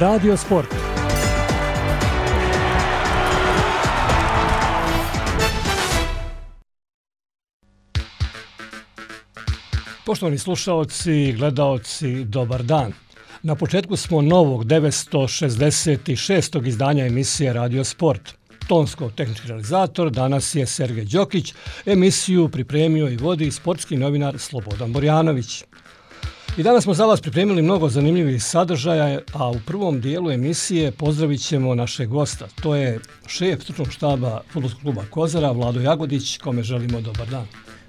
Radio Sport. Poštovani slušaoci i gledaoci, dobar dan. Na početku smo novog 966. izdanja emisije Radio Sport. Tonsko-tehnički realizator danas je Sergej Đokić, emisiju pripremio i vodi sportski novinar Slobodan Borjanović. I danas smo za vas pripremili mnogo zanimljivih sadržaja, a u prvom dijelu emisije pozdravit ćemo našeg gosta. To je šef stručnog štaba Fudbalskog kluba Kozara, Vlado Jagodić, kome želimo dobar dan.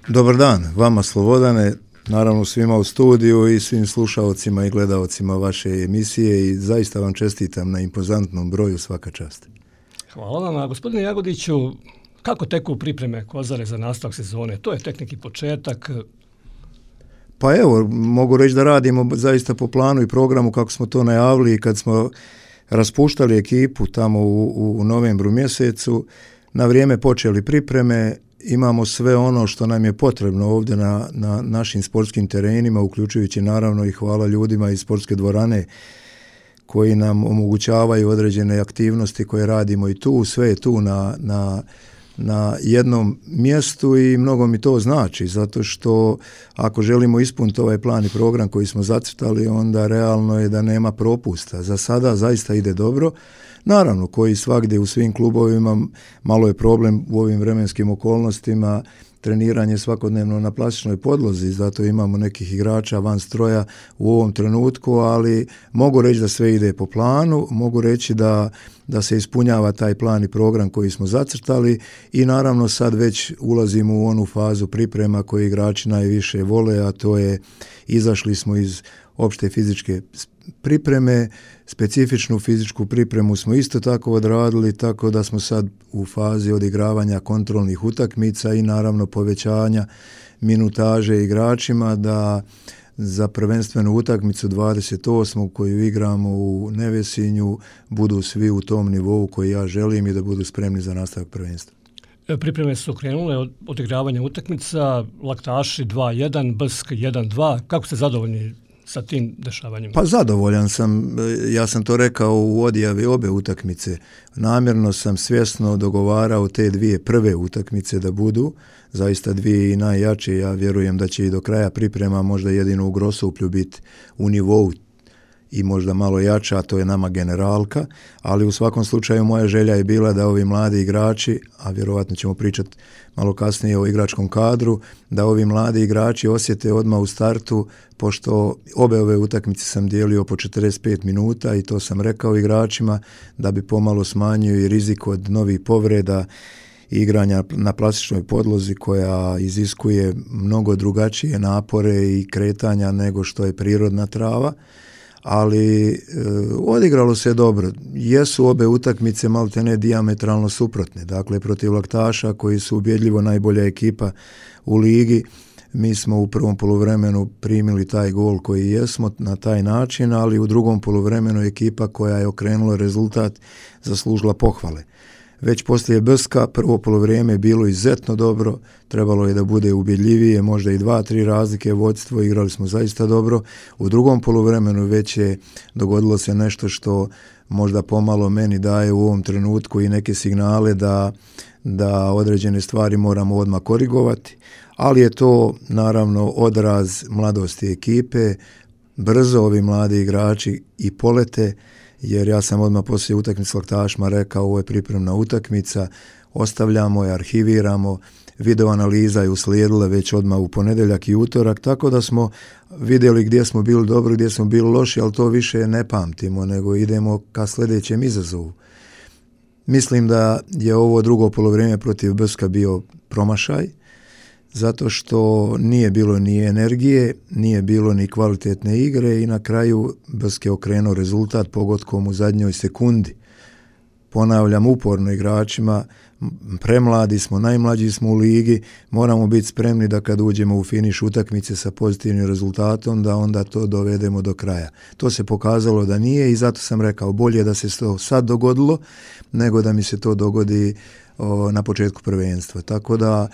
Dobar dan, vama Slobodane, naravno svima u studiju i svim slušaocima i gledaocima vaše emisije i zaista vam čestitam na impozantnom broju, svaka čast. Hvala vam. A gospodine Jagodiću, kako teku pripreme Kozare za nastavak sezone? To je tek neki početak. Pa evo, mogu reći da radimo zaista po planu i programu kako smo to najavili kad smo raspuštali ekipu tamo u novembru mjesecu. Na vrijeme počeli pripreme, imamo sve ono što nam je potrebno ovdje na našim sportskim terenima, uključujući naravno i hvala ljudima iz sportske dvorane koji nam omogućavaju određene aktivnosti koje radimo i tu, sve je tu na jednom mjestu i mnogo mi to znači, zato što ako želimo ispuniti ovaj plan i program koji smo zacrtali, onda realno je da nema propusta. Za sada zaista ide dobro. Naravno, koji svagdje u svim klubovima, malo je problem u ovim vremenskim okolnostima, treniranje svakodnevno na plastičnoj podlozi, zato imamo nekih igrača van stroja u ovom trenutku, ali mogu reći da sve ide po planu, mogu reći da se ispunjava taj plan i program koji smo zacrtali i naravno sad već ulazimo u onu fazu priprema koju igrači najviše vole, a to je izašli smo iz opšte fizičke pripreme, specifičnu fizičku pripremu smo isto tako odradili, tako da smo sad u fazi odigravanja kontrolnih utakmica i naravno povećanja minutaže igračima da za prvenstvenu utakmicu 28. koju igramo u Nevesinju budu svi u tom nivou koji ja želim i da budu spremni za nastavak prvenstva. Pripreme su krenule od odigravanja utakmica, Laktaši 2-1, Brsk 1-2. Kako ste zadovoljni sa tim dešavanjima? Pa zadovoljan sam, ja sam to rekao u odjavi obe utakmice. Namjerno sam svjesno dogovarao te dvije prve utakmice da budu, zaista dvije i najjače, ja vjerujem da će i do kraja priprema možda jedino u Grosuplju biti u nivou i možda malo jača, a to je nama generalka, ali u svakom slučaju moja želja je bila da ovi mladi igrači, a vjerovatno ćemo pričati malo kasnije o igračkom kadru, da ovi mladi igrači osjete odmah u startu, pošto obe ove utakmice sam dijelio po 45 minuta i to sam rekao igračima da bi pomalo smanjio i rizik od novih povreda igranja na plastičnoj podlozi koja iziskuje mnogo drugačije napore i kretanja nego što je prirodna trava. Ali odigralo se dobro. Jesu obe utakmice maltene dijametralno suprotne. Dakle, protiv Laktaša koji su ubjedljivo najbolja ekipa u ligi, mi smo u prvom poluvremenu primili taj gol koji jesmo na taj način, ali u drugom poluvremenu ekipa koja je okrenula rezultat zaslužila pohvale. Već poslije Brska prvo polovrijeme je bilo izuzetno dobro, trebalo je da bude ubjedljivije, možda i 2-3 razlike vodstvo, igrali smo zaista dobro. U drugom poluvremenu već je dogodilo se nešto što možda pomalo meni daje u ovom trenutku i neke signale da određene stvari moramo odmah korigovati, ali je to naravno odraz mladosti ekipe, brzo ovi mladi igrači i polete, jer ja sam odmah poslije utakmice s Laktašima rekao ovo je pripremna utakmica, ostavljamo je, arhiviramo, video analiza je uslijedila već odmah u ponedjeljak i utorak, tako da smo vidjeli gdje smo bili dobri, gdje smo bili loši, ali to više ne pamtimo, nego idemo ka sljedećem izazovu. Mislim da je ovo drugo polovrijeme protiv Brska bio promašaj, zato što nije bilo ni energije, nije bilo ni kvalitetne igre i na kraju Brsk je okrenuo rezultat pogodkom u zadnjoj sekundi. Ponavljam uporno igračima, premladi smo, najmlađi smo u ligi, moramo biti spremni da kad uđemo u finiš utakmice sa pozitivnim rezultatom, da onda to dovedemo do kraja. To se pokazalo da nije i zato sam rekao bolje da se to sad dogodilo, nego da mi se to dogodi na početku prvenstva. Tako da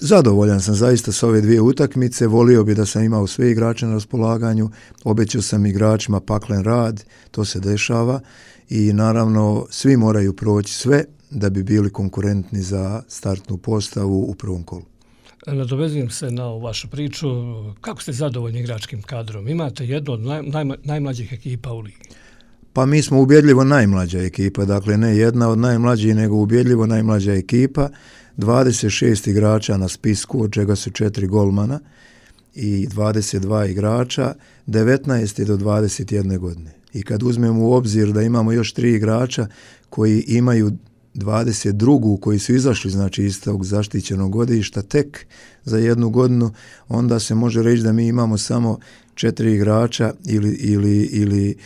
zadovoljan sam zaista sa ove dvije utakmice, volio bi da sam imao sve igrače na raspolaganju, obećao sam igračima paklen rad, to se dešava i naravno svi moraju proći sve da bi bili konkurentni za startnu postavu u prvom kolu. Nadovezujem se na ovu vašu priču. Kako ste zadovoljni igračkim kadrom? Imate jednu od najmlađih ekipa u ligi. Pa mi smo ubjedljivo najmlađa ekipa, dakle ne jedna od najmlađih, nego ubjedljivo najmlađa ekipa. 26 igrača na spisku, od čega su 4 golmana i 22 igrača, 19 do 21 godine. I kad uzmemo u obzir da imamo još 3 igrača koji imaju 22. koji su izašli znači iz tog zaštićenog godišta tek za jednu godinu, onda se može reći da mi imamo samo 4 igrača ili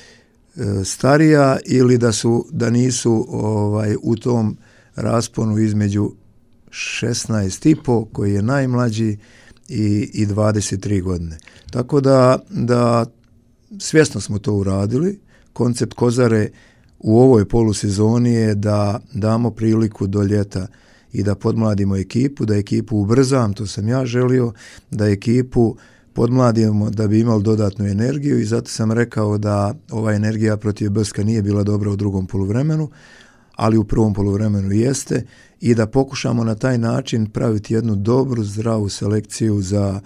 starija ili da nisu u tom rasponu između 16,5 koji je najmlađi i 23 godine. Tako da svjesno smo to uradili. Koncept Kozare u ovoj polusezoni je da damo priliku do ljeta i da podmladimo ekipu, da ekipu ubrzam, to sam ja želio, da ekipu podmladimo da bi imali dodatnu energiju i zato sam rekao da ova energija protiv Brska nije bila dobra u drugom poluvremenu, ali u prvom poluvremenu jeste i da pokušamo na taj način praviti jednu dobru, zdravu selekciju za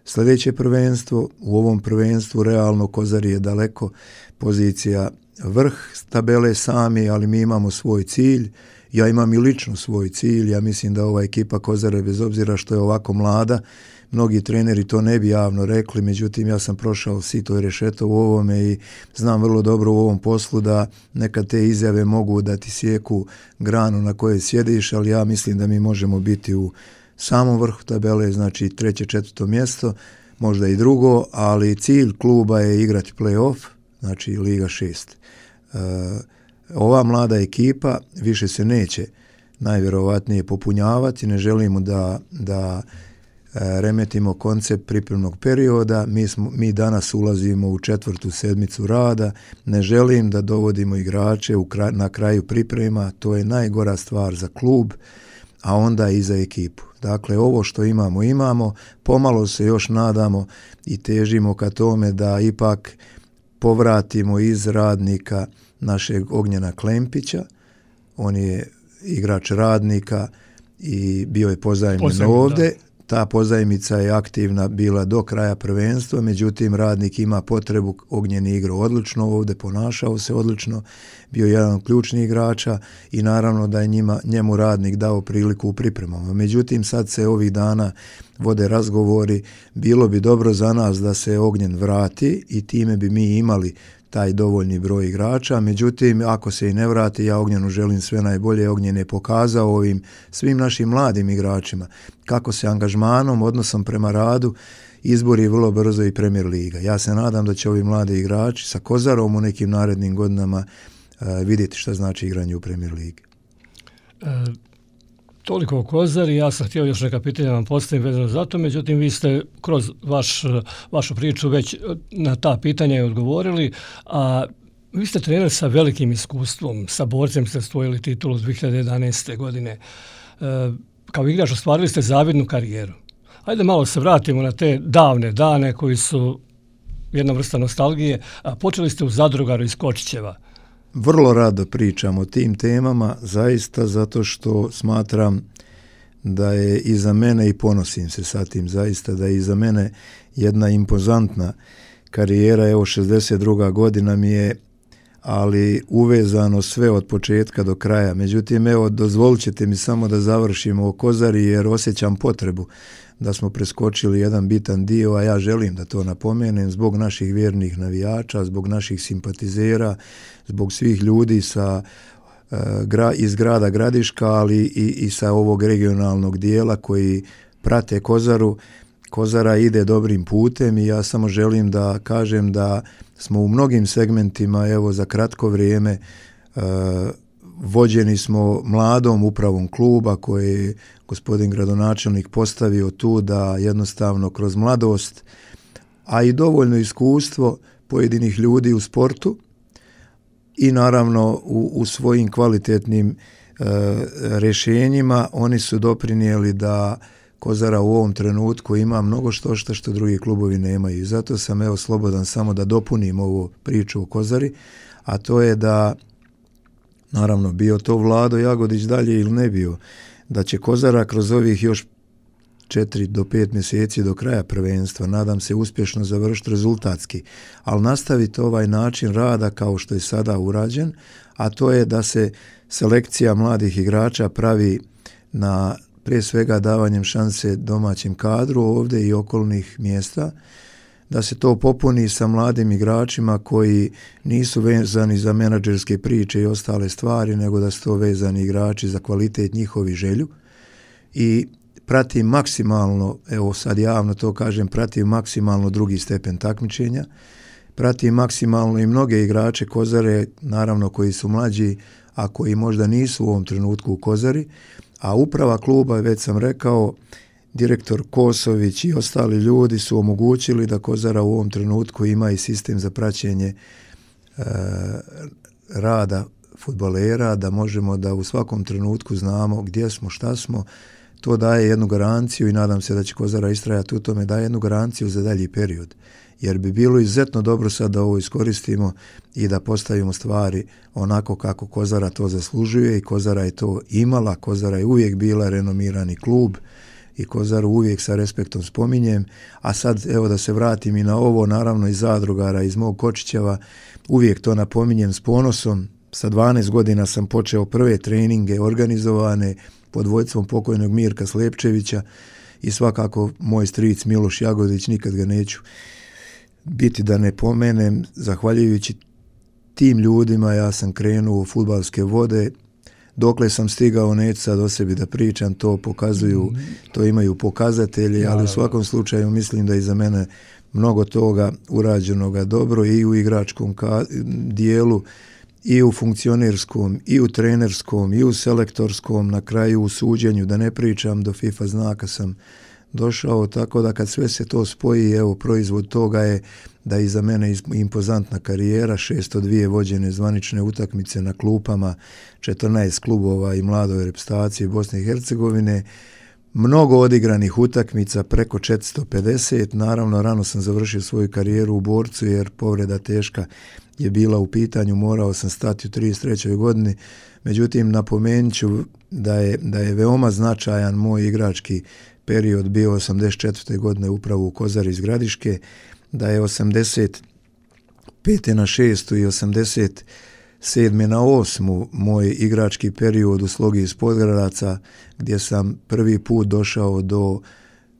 sljedeće prvenstvo. U ovom prvenstvu realno Kozari je daleko pozicija vrh tabele sami, ali mi imamo svoj cilj. Ja imam i lično svoj cilj. Ja mislim da ova ekipa Kozare, bez obzira što je ovako mlada, mnogi treneri to ne bi javno rekli, međutim ja sam prošao sito i rešeto u ovome i znam vrlo dobro u ovom poslu da nekad te izjave mogu da ti sjeku granu na kojoj sjediš, ali ja mislim da mi možemo biti u samom vrhu tabele, znači 3., 4. mjesto, možda i drugo, ali cilj kluba je igrati play-off, znači Liga 6. Ova mlada ekipa više se neće najvjerovatnije popunjavati, ne želimo da remetimo koncept pripremnog perioda, mi danas ulazimo u 4. sedmicu rada, ne želim da dovodimo igrače na kraju priprema, to je najgora stvar za klub, a onda i za ekipu. Dakle, ovo što imamo, pomalo se još nadamo i težimo ka tome da ipak povratimo iz Radnika našeg Ognjena Klempića, on je igrač Radnika i bio je pozajmljen ovdje. Ta pozajmica je aktivna bila do kraja prvenstva, međutim Radnik ima potrebu, Ognjen je igrao odlično ovdje, ponašao se odlično, bio jedan od ključnih igrača i naravno da je njemu Radnik dao priliku u pripremama. Međutim, sad se ovih dana vode razgovori, bilo bi dobro za nas da se Ognjen vrati i time bi mi imali taj dovoljni broj igrača, međutim, ako se i ne vrati, ja Ognjenu želim sve najbolje. Ognjen je pokazao ovim svim našim mladim igračima kako se angažmanom, odnosom prema radu izbori vrlo brzo i Premier Liga. Ja se nadam da će ovi mladi igrači sa Kozarom u nekim narednim godinama vidjeti šta znači igranje u Premier Ligi. Toliko o Kozari, ja sam htio još neka pitanja vam postaviti vezano za to, međutim vi ste kroz vašu priču već na ta pitanja odgovorili, a vi ste trener sa velikim iskustvom, sa Borcem ste osvojili titulu 2011. godine. Kao igrač ostvarili ste zavidnu karijeru. Ajde malo se vratimo na te davne dane koji su jedna vrsta nostalgije, a počeli ste u Zadrugaru iz Kočićeva. Vrlo rado pričam o tim temama, zaista zato što smatram da je iza mene i ponosim se sa tim, zaista da je iza mene jedna impozantna karijera, evo 62. godina mi je, ali uvezano sve od početka do kraja. Međutim, evo dozvolit ćete mi samo da završimo o Kozari jer osjećam potrebu da smo preskočili jedan bitan dio, a ja želim da to napomenem zbog naših vjernih navijača, zbog naših simpatizera, zbog svih ljudi iz grada Gradiška, ali i sa ovog regionalnog dijela koji prate Kozaru. Kozara ide dobrim putem i ja samo želim da kažem da smo u mnogim segmentima, evo za kratko vrijeme, vođeni smo mladom upravom kluba koje je gospodin gradonačelnik postavio tu da jednostavno kroz mladost, a i dovoljno iskustvo pojedinih ljudi u sportu i naravno u svojim kvalitetnim rješenjima oni su doprinijeli da Kozara u ovom trenutku ima mnogo što drugi klubovi nemaju. I zato sam slobodan samo da dopunim ovu priču o Kozari, a to je da, naravno, bio to Vlado Jagodić dalje ili ne bio, da će Kozara kroz ovih još 4 do 5 mjeseci do kraja prvenstva, nadam se, uspješno završiti rezultatski, ali nastaviti ovaj način rada kao što je sada urađen, a to je da se selekcija mladih igrača pravi na prije svega davanjem šanse domaćem kadru ovdje i okolnih mjesta, da se to popuni sa mladim igračima koji nisu vezani za menadžerske priče i ostale stvari, nego da su to vezani igrači za kvalitet njihovi želju. I pratim maksimalno, evo sad javno to kažem, pratim maksimalno drugi stepen takmičenja, pratim maksimalno i mnoge igrače Kozare, naravno koji su mlađi, a koji možda nisu u ovom trenutku u Kozari, a uprava kluba, već sam rekao, direktor Kosović i ostali ljudi su omogućili da Kozara u ovom trenutku ima i sistem za praćenje rada fudbalera, da možemo da u svakom trenutku znamo gdje smo, šta smo. To daje jednu garanciju i nadam se da će Kozara istrajati u tome, daje jednu garanciju za dalji period. Jer bi bilo izuzetno dobro sad da ovo iskoristimo i da postavimo stvari onako kako Kozara to zaslužuje i Kozara je to imala, Kozara je uvijek bila renomirani klub i Kozaru uvijek sa respektom spominjem, a sad evo da se vratim i na ovo, naravno iz zadrugara, iz mog Kočićeva, uvijek to napominjem s ponosom. Sa 12 godina sam počeo prve treninge organizovane pod vodstvom pokojnog Mirka Slepčevića i svakako moj stric Miloš Jagodić, nikad ga neću biti da ne pomenem, zahvaljujući tim ljudima ja sam krenuo u fudbalske vode. Dokle sam stigao, neću sad o sebi da pričam, to pokazuju, to imaju pokazatelji, ali u svakom slučaju mislim da je za mene mnogo toga urađenoga dobro i u igračkom dijelu, i u funkcionerskom, i u trenerskom, i u selektorskom, na kraju u suđenju, da ne pričam, do FIFA znaka sam došao, tako da kad sve se to spoji, evo, proizvod toga je da je za mene impozantna karijera, 602 vođene zvanične utakmice na klupama, 14 klubova i mladoj reprezentaciji Bosne i Hercegovine, mnogo odigranih utakmica, preko 450, naravno rano sam završio svoju karijeru u Borcu jer povreda teška je bila u pitanju, morao sam stati u 33. godini, međutim napomenut ću da je veoma značajan moj igrački period bio 84. godine upravo u Kozari iz Gradiške, da je 85. na 6. i 87. na 8. moj igrački period u Slogi iz Podgradaca, gdje sam prvi put došao do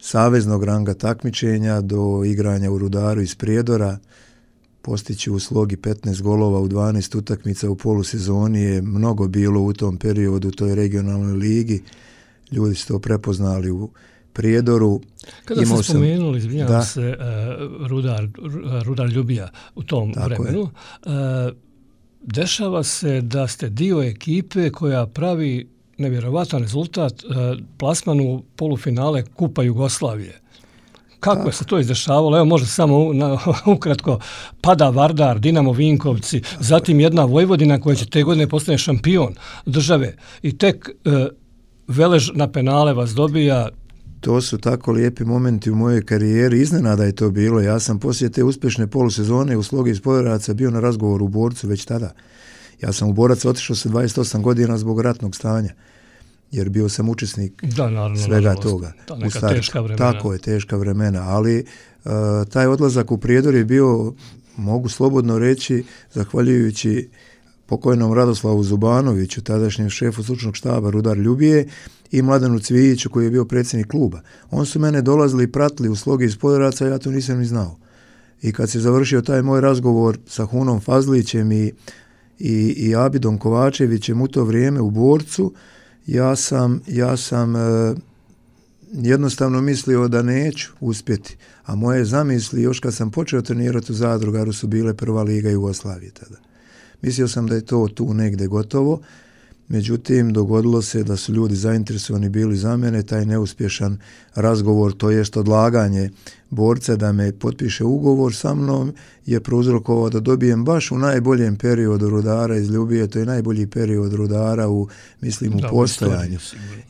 saveznog ranga takmičenja, do igranja u Rudaru iz Prijedora, postići u Slogi 15 golova u 12 utakmica u polusezoni je mnogo bilo u tom periodu, u toj regionalnoj ligi. Ljudi su to prepoznali u Prijedoru. Kada ste spomenuli, izvinjavam se, Rudar Ljubija u tom vremenu, dešava se da ste dio ekipe koja pravi nevjerovatan rezultat, plasman u polufinale Kupa Jugoslavije. Kako se to izdešavalo? Evo može samo ukratko, pada Vardar, Dinamo Vinkovci, zatim jedna Vojvodina koja će te godine postane šampion države i tek Velež na penale vas dobija. To su tako lijepi momenti u mojoj karijeri, iznenada je to bilo. Ja sam poslije te uspješne polusezone u Slogi iz Podgradaca bio na razgovoru u Borcu već tada. Ja sam u Borac otišao sa 28 godina zbog ratnog stanja, jer bio sam učesnik svega toga. Teška vremena. Tako je, teška vremena, ali taj odlazak u Prijedor je bio, mogu slobodno reći, zahvaljujući pokojnom Radoslavu Zubanoviću, tadašnjem šefu stručnog štaba Rudar Ljubije, i Mladenu Cvijiću koji je bio predsjednik kluba. On su mene dolazili i pratili u Slogi iz Podgraca, ja to nisam ni znao. I kad se završio taj moj razgovor sa Hunom Fazlićem i Abidom Kovačevićem u to vrijeme u Borcu, ja sam jednostavno mislio da neću uspjeti. A moje zamisli, još kad sam počeo trenirati u Zadrugaru, su bile prva liga Jugoslavije tada. Mislio sam da je to tu negdje gotovo. Međutim, dogodilo se da su ljudi zainteresovani bili za mene, taj neuspješan razgovor, to jest odlaganje borca da me potpiše ugovor sa mnom je prouzrokovao da dobijem baš u najboljem periodu Rudara iz Ljubije, to je najbolji period Rudara u postojanju.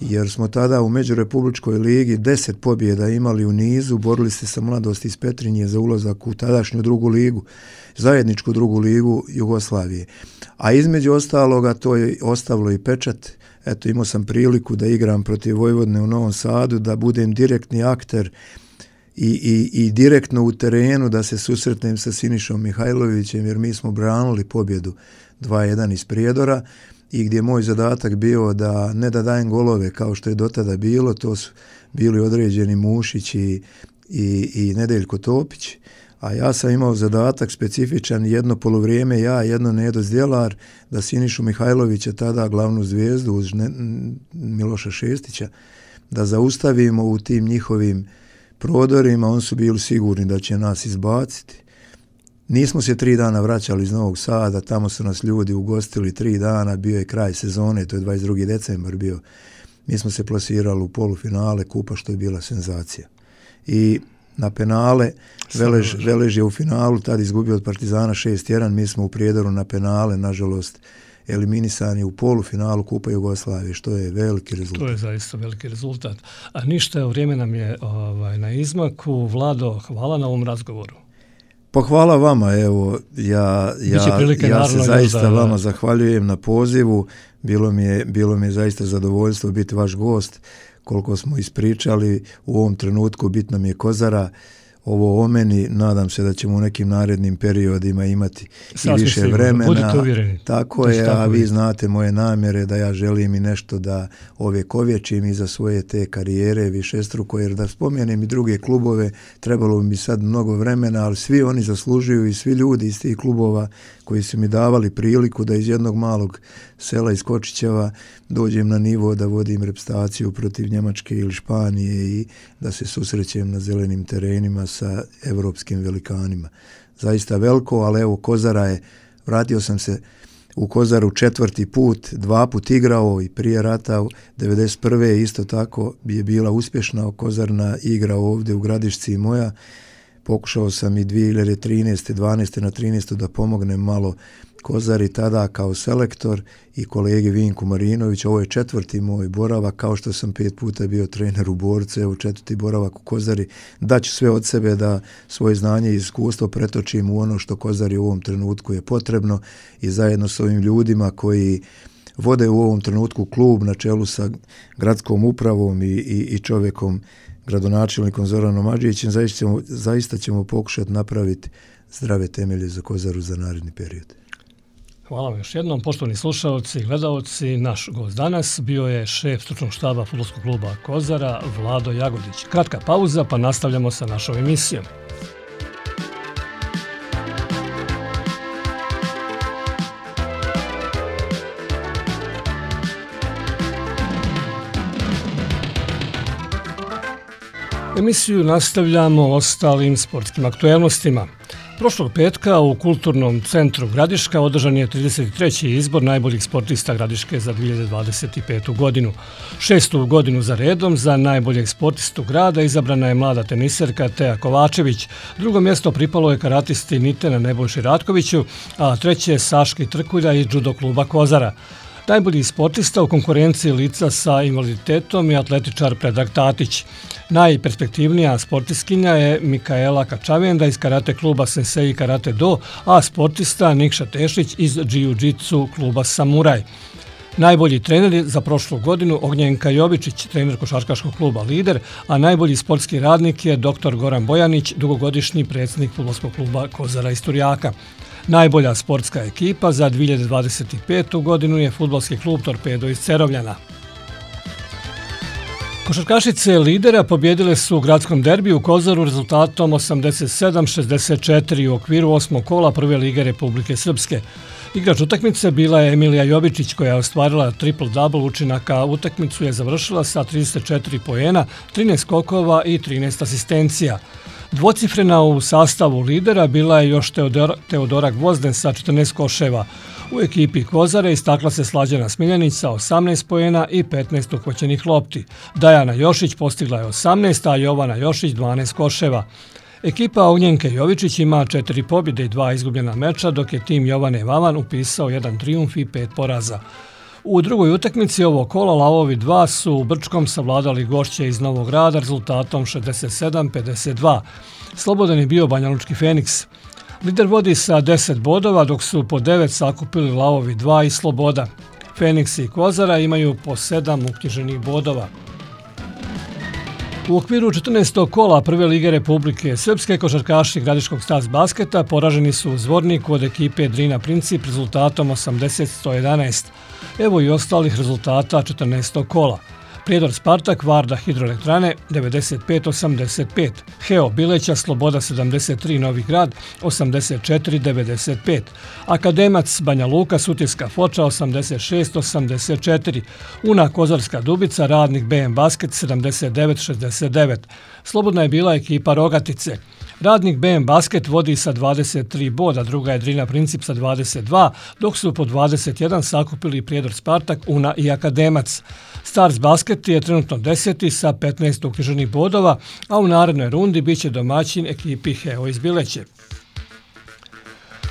Jer smo tada u Međurepubličkoj ligi 10 pobjeda imali u nizu, borili se sa Mladosti iz Petrinje za ulazak u tadašnju drugu ligu, zajedničku drugu ligu Jugoslavije. A između ostaloga to je ostavilo i pečat. Eto, imao sam priliku da igram protiv Vojvodine u Novom Sadu, da budem direktni akter i direktno u terenu, da se susretnem sa Sinišom Mihajlovićem, jer mi smo branili pobjedu 2-1 iz Prijedora i gdje je moj zadatak bio da ne da dajem golove kao što je do tada bilo, to su bili određeni Mušić i Nedeljko Topić, a ja sam imao zadatak specifičan, jedno poluvrijeme ja, jedno Nedo Zdjelar, da Sinišu Mihajlovića, tada glavnu zvijezdu uz Miloša Šestića, da zaustavimo u tim njihovim prodorima, oni su bili sigurni da će nas izbaciti. Nismo se 3 dana vraćali iz Novog Sada, tamo su nas ljudi ugostili 3 dana, bio je kraj sezone, to je 22. decembar bio. Mi smo se plasirali u polufinale kupa, što je bila senzacija. I na penale, Velež je u finalu tad izgubio od Partizana 6-1, mi smo u Prijedoru na penale, nažalost, eliminisani u polufinalu Kupa Jugoslavije, što je veliki rezultat. To je zaista veliki rezultat. A ništa, vrijeme nam je na izmaku. Vlado, hvala na ovom razgovoru. Pa hvala vama, evo, ja se zaista vama zahvaljujem na pozivu, bilo mi je zaista zadovoljstvo biti vaš gost, koliko smo ispričali, u ovom trenutku bitno mi je Kozara, ovo o meni, nadam se da ćemo u nekim narednim periodima imati i više vremena. Budite uvjereni. Tako je, a vi znate moje namjere da ja želim i nešto da ovjekovječim iza svoje te karijere višestruko, jer da spomenem i druge klubove, trebalo bi mi sad mnogo vremena, ali svi oni zaslužuju i svi ljudi iz tih klubova koji su mi davali priliku da iz jednog malog sela iz Kočićeva dođem na nivo da vodim reprezentaciju protiv Njemačke ili Španije i da se susrećem na zelenim terenima sa evropskim velikanima. Zaista veliko, ali evo Kozara je, vratio sam se u Kozaru 4. put, 2 put igrao i prije rata 91. isto tako je bila uspješna Kozarna igra ovdje u Gradišci i moja. Pokušao sam i 2013. 12. na 13. da pomognem malo Kozari tada kao selektor i kolegi Vinku Marinović. Ovo je 4. moj boravak, kao što sam 5 puta bio trener u Borcu, evo 4. boravak u Kozari. Daću sve od sebe da svoje znanje i iskustvo pretočim u ono što Kozari u ovom trenutku je potrebno i zajedno s ovim ljudima koji vode u ovom trenutku klub na čelu sa gradskom upravom i čovjekom, gradonačelnikom Zoranom Adžićem, zaista ćemo pokušati napraviti zdrave temelje za Kozaru za naredni period. Hvala vam još jednom. Poštovani slušalci i gledaoci, naš gost danas bio je šef stručnog štaba fudbalskog kluba Kozara, Vlado Jagodić. Kratka pauza, pa nastavljamo sa našom emisijom. Emisiju nastavljamo ostalim sportskim aktuelnostima. Prošlog petka u Kulturnom centru Gradiška održan je 33. izbor najboljih sportista Gradiške za 2025. godinu. 6. godinu za redom za najboljeg sportistu grada izabrana je mlada teniserka Teja Kovačević. Drugo mjesto pripalo je karatisti Nitena Nebojši Ratkoviću, a treće Saški Trkulja iz judo kluba Kozara. Najbolji sportista u konkurenciji lica sa invaliditetom je atletičar Predrag Tatić. Najperspektivnija sportiskinja je Mikaela Kačavenda iz karate kluba Sensei Karate Do, a sportista Nikša Tešić iz Jiu-Jitsu kluba Samuraj. Najbolji trener za prošlu godinu Ognjenka Jovičić, trener košarkaškog kluba Lider, a najbolji sportski radnik je dr. Goran Bojanić, dugogodišnji predsjednik fudbalskog kluba Kozara iz Turjaka. Najbolja sportska ekipa za 2025. godinu je fudbalski klub Torpedo iz Cerovljana. Košarkašice Lidera pobjedile su u gradskom derbiju u Kozaru rezultatom 87-64 u okviru 8. kola Prve lige Republike Srpske. Igrač utakmice bila je Emilija Jovičić koja je ostvarila triple-double učinaka. Utakmicu je završila sa 34 poena, 13 skokova i 13 asistencija. Dvocifrena u sastavu Lidera bila je još Teodora Gvozden sa 14 koševa. U ekipi Kozare istakla se Slađana Smiljanić sa 18 poena i 15 uhvaćenih lopti. Dajana Jošić postigla je 18, a Jovana Jošić 12 koševa. Ekipa Ognjenke Jovičić ima 4 pobjede i 2 izgubljena meča, dok je tim Jovane Vavan upisao 1 trijumf i 5 poraza. U drugoj utakmici ovog kola Lavovi 2 su u Brčkom savladali gošće iz Novog Grada rezultatom 67-52. Slobodan je bio Banjalučki Feniks. Lider vodi sa 10 bodova, dok su po 9 sakupili Lavovi 2 i Sloboda. Feniks i Kozara imaju po 7 uknjiženih bodova. U okviru 14. kola Prve lige Republike Srpske košarkaši Gradiškog Stars basketa poraženi su u Zvorniku od ekipe Drina Princip rezultatom 80-111. Evo i ostalih rezultata 14. kola. Prijedor Spartak Varda Hidroelektrane 95-85, Heo Bileća Sloboda 73 Novi Grad 84-95, Akademac Banja Luka Sutjeska Foča 86-84, Una Kozarska Dubica Radnik BM Basket 79-69. Slobodna je bila ekipa Rogatice. Radnik BM Basket vodi sa 23 boda, druga je Drina Princip sa 22, dok su po 21 sakupili Prijedor Spartak, Una i Akademac. Stars Basket je trenutno 10. sa 15 uknjiženih bodova, a u narednoj rundi biće domaćin ekipi Heo iz Bileće.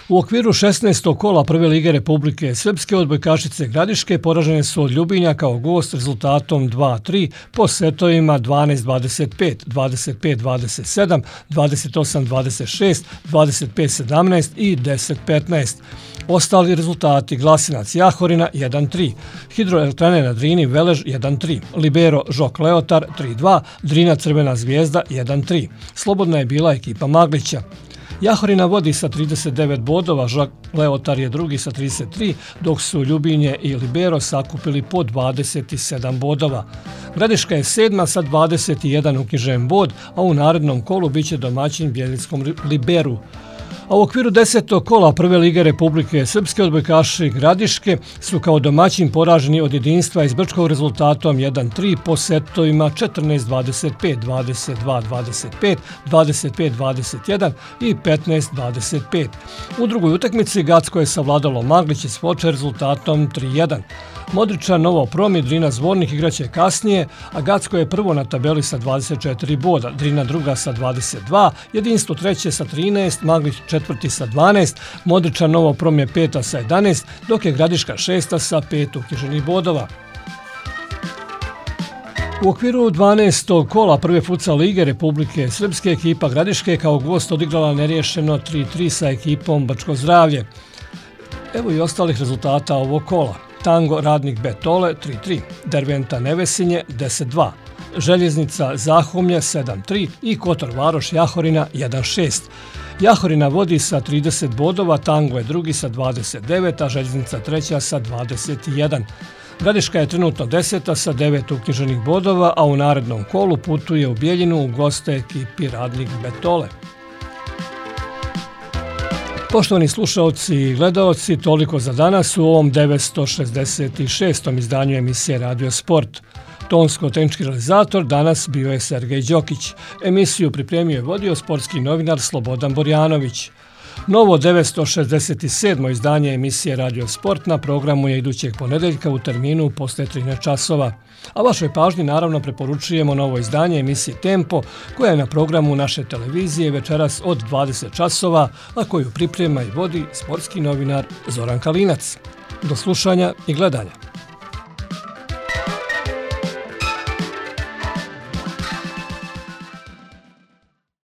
U okviru 16. kola Prve lige Republike Srpske odbojkašice Gradiške poražene su od Ljubinja kao gost rezultatom 2-3 po setovima 12-25, 25-27, 28-26, 25-17 i 10-15. Ostali rezultati: Glasinac Jahorina 1-3, Hidroelektrane na Drini Velež 1-3, Libero Žok Leotar 3-2, Drina Crvena Zvijezda 1-3. Slobodna je bila ekipa Maglića. Jahorina vodi sa 39 bodova, Žok Leotar je drugi sa 33, dok su Ljubinje i Libero sakupili po 27 bodova. Gradiška je 7. sa 21 uknjižen bod, a u narednom kolu biće domaćin Bjeljickom Liberu. A u okviru 10. kola Prve lige Republike Srpske odbojkaši Gradiške su kao domaćin poraženi od Jedinstva iz Brčkog rezultatom 1-3 po setovima 14-25, 22-25, 25-21 i 15-25. U drugoj utakmici Gacko je savladalo Maglić iz Foče rezultatom 3-1. Modričan Novo Prom i Drina Zvornik igraće kasnije, a Gacko je prvo na tabeli sa 24 boda, Drina druga sa 22, Jedinstvo treće sa 13, Maglić četvrti sa 12, Modričan Novo Prom je peta sa 11, dok je Gradiška šesta sa 5 uknjiženih bodova. U okviru 12. kola Prve futsal lige Republike Srpske ekipa Gradiške kao gost odigrala neriješeno 3-3 sa ekipom Brčko Zdravlje. Evo i ostalih rezultata ovog kola. Tango Radnik Betole 3-3, Derventa Nevesinje 10-2, Željeznica Zahumlje 7-3 i Kotor Varoš Jahorina 1-6. Jahorina vodi sa 30 bodova, Tango je drugi sa 29, a Željeznica treća sa 21. Gradiška je trenutno 10. sa 9 uknjiženih bodova, a u narednom kolu putuje u Bijeljinu u goste ekipi Radnik Betole. Poštovani slušaoci i gledaoci, toliko za danas u ovom 966. izdanju emisije Radio Sport. Tonsko-tehnički realizator danas bio je Sergej Đokić. Emisiju pripremio i vodio sportski novinar Slobodan Borjanović. Novo 967. izdanje emisije Radio Sport na programu je idućeg ponedeljka u terminu posle 13 časova. A vašoj pažnji naravno preporučujemo novo izdanje emisije Tempo koja je na programu naše televizije večeras od 20 časova, a koju priprema i vodi sportski novinar Zoran Kalinac. Do slušanja i gledanja.